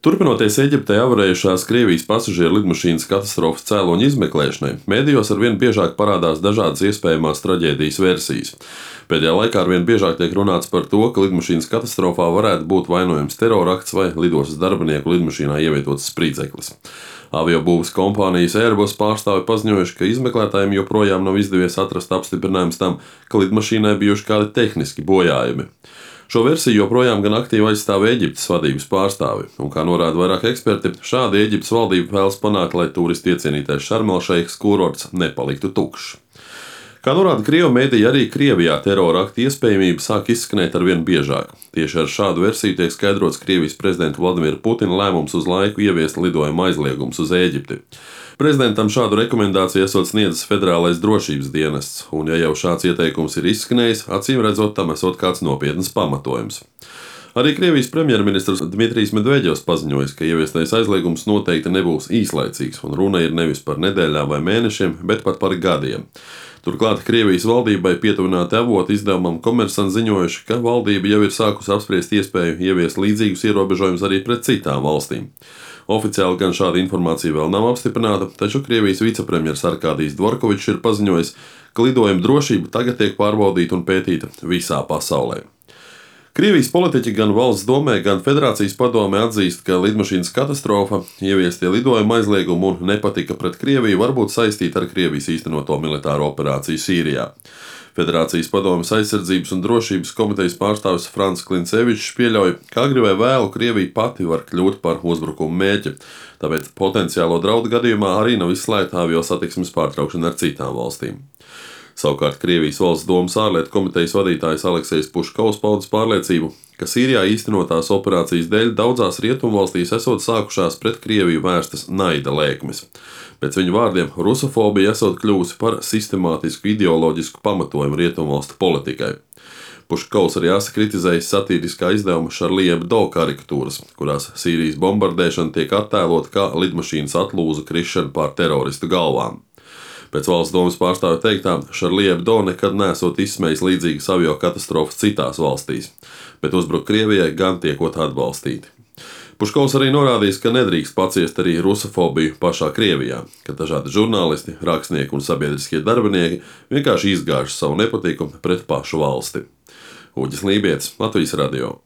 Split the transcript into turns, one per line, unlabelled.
Turpinoties Eģiptē avarējušās Krievijas pasažieru lidmašīnas katastrofas cēloņu izmeklēšanai, medijos arvien biežāk parādās dažādas iespējamās traģēdijas versijas. Pēdējā laikā arvien biežāk tiek runāts par to, ka lidmašīnas katastrofā varētu būt vainojams terorakts vai lidostas darbinieku lidmašīnā ievietots spridzeklis. Aviobūves kompānijas Airbus pārstāvi paziņojuši, ka izmeklētājiem joprojām nav izdevies atrast apstiprinājums tam, ka lidmašīnai bijuši kādi tehniski bojājumi. Šo versiju joprojām gan aktīvi aizstāv Eģiptes vadības pārstāvi, un, kā norāda vairāk eksperti, šādi Eģiptes valdība vēlas panākt, lai turistu iecienītais Šarmelšeikas kurorts nepaliktu tukšs. Kā norāda Krievu mediji, arī Krievijā terora akta iespējamība sāk izskanēt arvien biežāk. Tieši ar šādu versiju tiek skaidrots Krievijas prezidenta Vladimira Putina lēmums uz laiku ieviest lidojuma aizliegums uz Ēģipti. Prezidentam šādu rekomendāciju esot sniedzis Federālais drošības dienests, un ja jau šāds ieteikums ir izskanējis, acīm redzot, tam esot kāds nopietns pamatojums. Arī Krievijas premjerministrs Dmitrijs Medvedevs paziņojis, ka ieviestais aizliegums noteikti nebūs īslaicīgs, un runa ir nevis par nedēļām vai mēnešiem, bet pat par gadiem. Turklāt Krievijas valdībai pietuvināti avoti izdevumam Komersants ziņojuši, ka valdība jau ir sākusi apspriest iespēju ieviest līdzīgus ierobežojumus arī pret citām valstīm. Oficiāli gan šāda informācija vēl nav apstiprināta, taču Krievijas vicepremjers Arkādijs Dvorkovičs ir paziņojis, ka lidojuma drošība tagad tiek pārbaudīta un pētīta visā pasaulē. Krievijas politiķi gan valsts domē, gan Federācijas padomē atzīst, ka lidmašīnas katastrofa, ieviestie lidojuma aizliegumi un nepatika pret Krieviju var būt saistīti ar Krievijas īstenoto militāro operāciju Sīrijā. Federācijas padomes aizsardzības un drošības komitejas pārstāvis Frants Klincevičs pieļauj, ka agri vai vēlu Krievija pati var kļūt par uzbrukumu mērķi, tāpēc potenciālo draudu gadījumā arī nav izslēgta avio satiksmes pārtraukšana ar citām valstīm. Savukārt Krievijas valsts domas ārlietu komitejas vadītājs Aleksejs Puškovs paudis pārliecību, ka Sīrijā īstenotās operācijas dēļ daudzās rietumvalstīs esot sākušās pret Krieviju vērstas naida lēkmes. Pēc viņu vārdiem, rusofobija esot kļuvusi par sistemātisku ideoloģisku pamatojumu rietumvalstu politikai. Puškovs arī kritizējis satīriskā izdevuma Charlie Hebdo karikatūras, kurās Sīrijas bombardēšana tiek attēlota kā lidmašīnas atlūzu krišana pār teroristu galvām. Pēc valsts domas pārstāvja teiktā, Charlie Hebdo nekad nesot izsmējis līdzīgas avio katastrofas citās valstīs, bet uzbruk Krievijai gan tiekot atbalstīti. Puškovs arī norādījis, ka nedrīkst paciest arī rusofobiju pašā Krievijā, ka dažādi žurnālisti, rakstnieki un sabiedriskie darbinieki vienkārši izgāž savu nepatiku pret pašu valsti. Uģis Lībietis, Latvijas radio.